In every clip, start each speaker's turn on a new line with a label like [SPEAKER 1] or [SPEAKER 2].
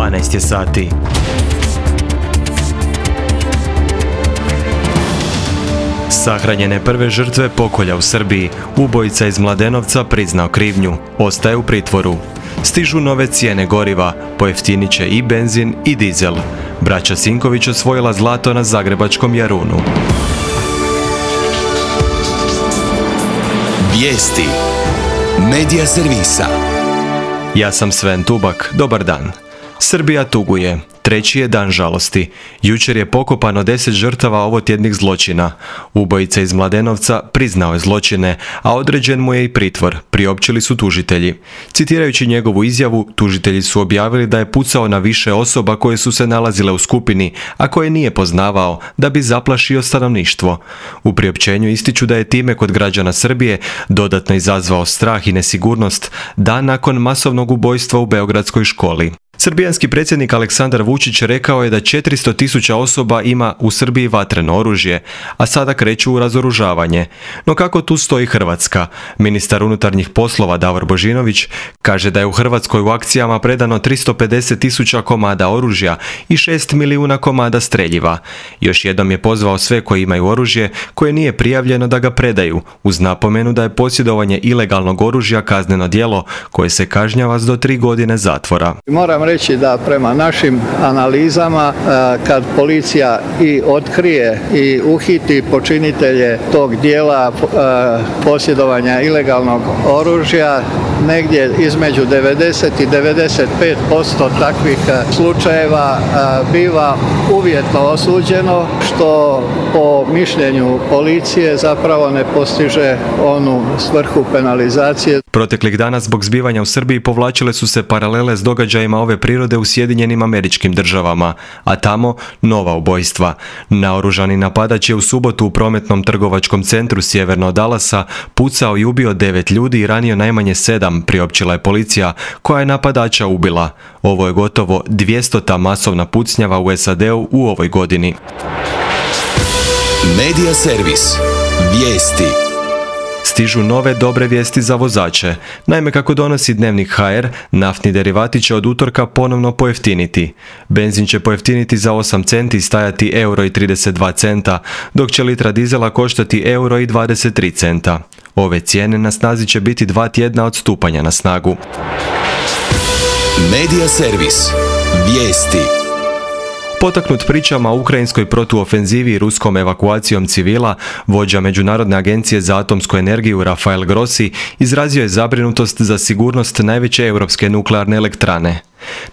[SPEAKER 1] 12 je sati. Sahranjene prve žrtve pokolja u Srbiji. Ubojica iz Mladenovca priznao krivnju. Ostaje u pritvoru. Stižu nove cijene goriva. Pojeftinit će i benzin i dizel. Braća Sinković osvojila zlato na zagrebačkom Jarunu.
[SPEAKER 2] Vijesti Medija servisa.
[SPEAKER 1] Ja sam Sven Tubak. Dobar dan. Srbija tuguje. Treći je dan žalosti. Jučer je pokopano 10 žrtava ovotjednih zločina. Ubojica iz Mladenovca priznao je zločine, a određen mu je i pritvor, priopćili su tužitelji. Citirajući njegovu izjavu, tužitelji su objavili da je pucao na više osoba koje su se nalazile u skupini, a koje nije poznavao, da bi zaplašio stanovništvo. U priopćenju ističu da je time kod građana Srbije dodatno izazvao strah i nesigurnost dan nakon masovnog ubojstva u beogradskoj školi. Srbijanski predsjednik Aleksandar Vučić rekao je da 400.000 osoba ima u Srbiji vatreno oružje, a sada kreću u razoružavanje. No kako tu stoji Hrvatska? Ministar unutarnjih poslova Davor Božinović kaže da je u Hrvatskoj u akcijama predano 350.000 komada oružja i 6 milijuna komada streljiva. Još jednom je pozvao sve koji imaju oružje koje nije prijavljeno da ga predaju, uz napomenu da je posjedovanje ilegalnog oružja kazneno djelo koje se kažnjava s do 3 godine zatvora.
[SPEAKER 3] Moram reći da prema našim analizama kad policija i otkrije i uhiti počinitelje tog dijela posjedovanja ilegalnog oružja, negdje između 90 i 95% takvih slučajeva biva uvjetno osuđeno, što po mišljenju policije zapravo ne postiže onu svrhu penalizacije.
[SPEAKER 1] Proteklih dana zbog zbivanja u Srbiji povlačile su se paralele s događajima ove prirode u Sjedinjenim Američkim Državama, a tamo nova ubojstva. Naoružani napadač je u subotu u prometnom trgovačkom centru sjeverno od Dallasa pucao i ubio 9 ljudi i ranio najmanje 7, priopćila je policija, koja je napadača ubila. Ovo je gotovo 200. masovna pucnjava u SAD-u u ovoj godini.
[SPEAKER 2] Medija servis. Vijesti.
[SPEAKER 1] Stižu nove dobre vijesti za vozače. Naime, kako donosi Dnevnik HR, naftni derivati će od utorka ponovno pojeftiniti. Benzin će pojeftiniti za 8 centi i stajati €1,32, dok će litra dizela koštati €1,23. Ove cijene na snazi će biti 2 tjedna od stupanja na snagu.
[SPEAKER 2] Medija servis. Vijesti.
[SPEAKER 1] Potaknut pričama o ukrajinskoj protuofenzivi i ruskom evakuacijom civila, vođa Međunarodne agencije za atomsku energiju Rafael Grossi izrazio je zabrinutost za sigurnost najveće europske nuklearne elektrane.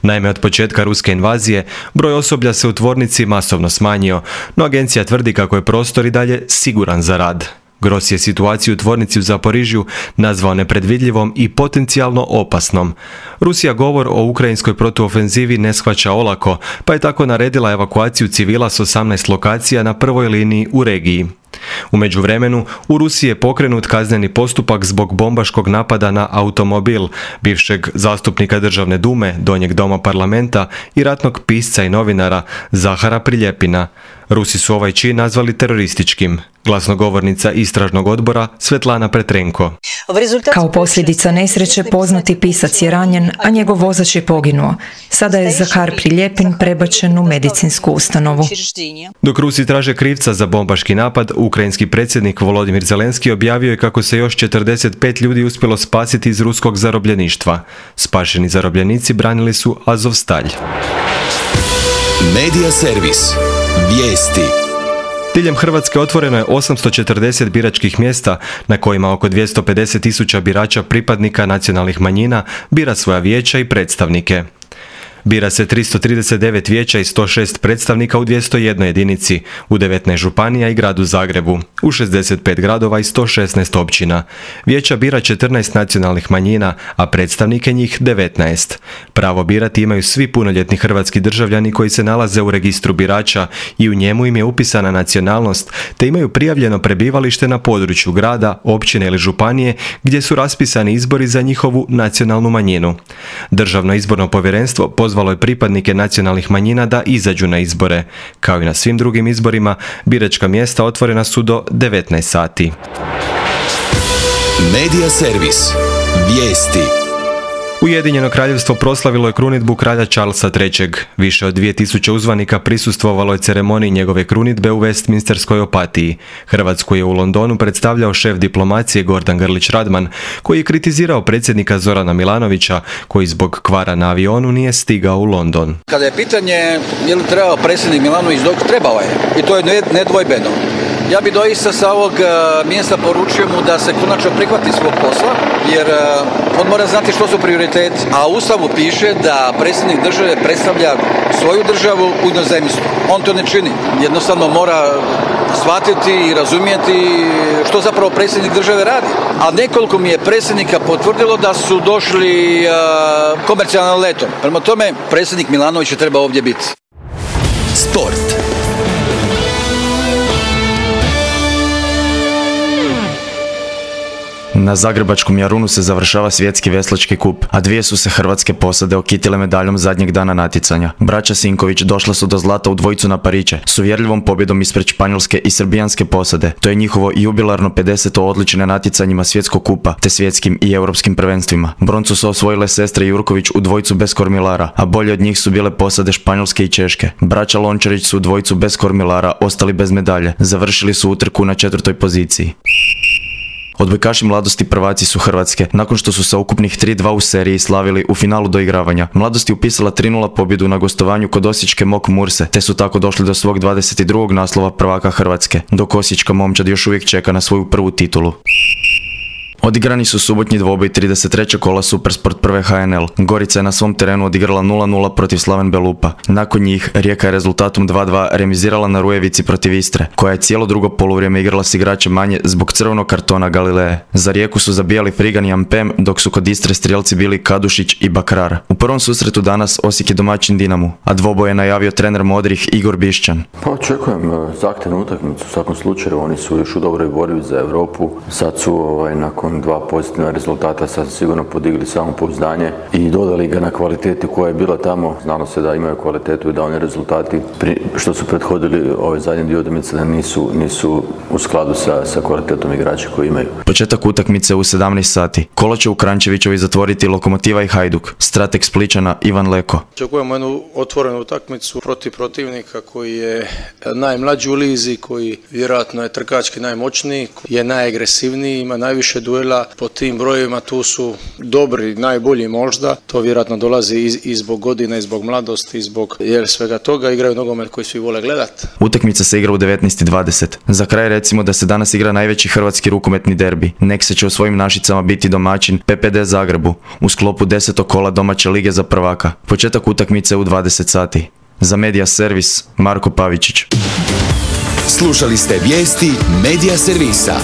[SPEAKER 1] Naime, od početka ruske invazije, broj osoblja se u tvornici masovno smanjio, no agencija tvrdi kako je prostor i dalje siguran za rad. Grossi je situaciju u tvornici u Zaporižju nazvao nepredvidljivom i potencijalno opasnom. Rusija govor o ukrajinskoj protuofenzivi ne shvaća olako, pa je tako naredila evakuaciju civila s 18 lokacija na prvoj liniji u regiji. U međuvremenu, u Rusiji je pokrenut kazneni postupak zbog bombaškog napada na automobil bivšeg zastupnika Državne dume, Donjeg doma parlamenta i ratnog pisca i novinara Zahara Priljepina. Rusi su ovaj čin nazvali terorističkim. Glasnogovornica istražnog odbora Svetlana Petrenko.
[SPEAKER 4] Kao posljedica nesreće poznati pisac je ranjen, a njegov vozač je poginuo. Sada je Zahar Priljepin prebačen u medicinsku ustanovu.
[SPEAKER 1] Dok Rusi traže krivca za bombaški napad, ukrajinski predsjednik Volodimir Zelenski objavio je kako se još 45 ljudi uspjelo spasiti iz ruskog zarobljeništva. Spašeni zarobljenici branili su Azovstalj.
[SPEAKER 2] Medija servis. Vijesti.
[SPEAKER 1] Diljem Hrvatske otvoreno je 840 biračkih mjesta na kojima oko 250.000 birača pripadnika nacionalnih manjina bira svoja vijeća i predstavnike. Bira se 339 vijeća i 106 predstavnika u 201 jedinici, u 19 županija i gradu Zagrebu, u 65 gradova i 116 općina. Vijeća bira 14 nacionalnih manjina, a predstavnike njih 19. Pravo birati imaju svi punoljetni hrvatski državljani koji se nalaze u registru birača i u njemu im je upisana nacionalnost, te imaju prijavljeno prebivalište na području grada, općine ili županije gdje su raspisani izbori za njihovu nacionalnu manjinu. Državno izborno povjerenstvo pozvalo je pripadnike nacionalnih manjina da izađu na izbore. Kao i na svim drugim izborima, biračka mjesta otvorena su do 19 sati.
[SPEAKER 2] Medija servis. Vijesti.
[SPEAKER 1] Ujedinjeno kraljevstvo proslavilo je krunidbu kralja Charlesa III. Više od 2000 uzvanika prisustvovalo je ceremoniji njegove krunidbe u Westminsterskoj opatiji. Hrvatsku je u Londonu predstavljao šef diplomacije Gordan Grlić Radman, koji je kritizirao predsjednika Zorana Milanovića, koji zbog kvara na avionu nije stigao u London.
[SPEAKER 5] Kada je pitanje je li trebao predsjednik Milanović, trebao je i to je nedvojbeno. Ja bi doista sa ovog mjesta poručio mu da se konačno prihvati svog posla, jer on mora znati što su prioriteti, a u Ustavu piše da predsjednik države predstavlja svoju državu u inozemstvu. On to ne čini. Jednostavno mora shvatiti i razumjeti što zapravo predsjednik države radi. A nekoliko mi je predsjednika potvrdilo da su došli komercijalnim letom. Prema tome, predsjednik Milanović je treba ovdje biti.
[SPEAKER 2] Sport.
[SPEAKER 6] Na zagrebačkom Jarunu se završava svjetski veslački kup, a dvije su se hrvatske posade okitile medaljom zadnjeg dana natjecanja. Braća Sinković došla su do zlata u dvojicu na Pariće, s uvjerljivom pobjedom ispred španjolske i srbijanske posade. To je njihovo jubilarno 50. odličje na natjecanjima svjetskog kupa, te svjetskim i europskim prvenstvima. Broncu su osvojile sestre Jurković u dvojicu bez kormilara, a bolje od njih su bile posade španjolske i češke. Braća Lončarić su u dvojicu bez kormilara ostali bez medalje. Završili su utrku na 4. poziciji. Odbojkaši Mladosti prvaci su Hrvatske, nakon što su sa ukupnih 3-2 u seriji slavili u finalu doigravanja. Mladost je upisala 3-0 pobjedu na gostovanju kod osječke Mok Murse, te su tako došli do svog 22. naslova prvaka Hrvatske, dok osječka momčad još uvijek čeka na svoju prvu titulu. Odigrani su subotnji dvoboj 33. kola Supersport prve HNL. Gorica je na svom terenu odigrala 0-0 protiv Slaven Belupa. Nakon njih Rijeka je rezultatom 2-2 remizirala na Rujevici protiv Istre, koja je cijelo drugo poluvrijeme igrala s igračem manje zbog crvenog kartona Galileje. Za Rijeku su zabijali Frigan i Ampem, dok su kod Istre strijelci bili Kadušić i Bakrar. U prvom susretu danas Osijek je domaćin Dinamu, a dvoboj je najavio trener Modrih Igor Bišćan.
[SPEAKER 7] Pa očekujem zahtjevnu utakmicu, u svakom slučaju oni su još u dobroj borbi za Europu. Sad su nakon 2 pozitivna rezultata sad sigurno podigli samopouzdanje i dodali ga na kvaliteti koja je bila tamo. Znalo se da imaju kvalitetu i da oni rezultati što su prethodili ove zadnje dvije utakmice da nisu u skladu sa kvalitetom igrača koji imaju.
[SPEAKER 6] Početak utakmice u 17 sati. Kolo će u Kranjčevićevi zatvoriti Lokomotiva i Hajduk. Strateg Splićana Ivan Leko.
[SPEAKER 8] Očekujemo jednu otvorenu utakmicu protiv protivnika koji je najmlađi u lizi, koji vjerojatno je trkački najmoćniji, je najagresivniji, ima najviše duela. Po tim brojevima tu su dobri, najbolji možda. To vjerojatno dolazi i zbog godina, i zbog mladosti, i zbog svega toga. Igraju nogomet koji svi vole gledati.
[SPEAKER 6] Utakmica se igra u 19:20. Za kraj recimo da se danas igra najveći hrvatski rukometni derbi. Neksa će u svojim Našicama biti domaćin PPD Zagrebu u sklopu 10. kola domaće lige za prvaka. Početak utakmice u 20 sati. Za Media Servis Marko Pavičić.
[SPEAKER 2] Slušali ste vijesti Media Servisa.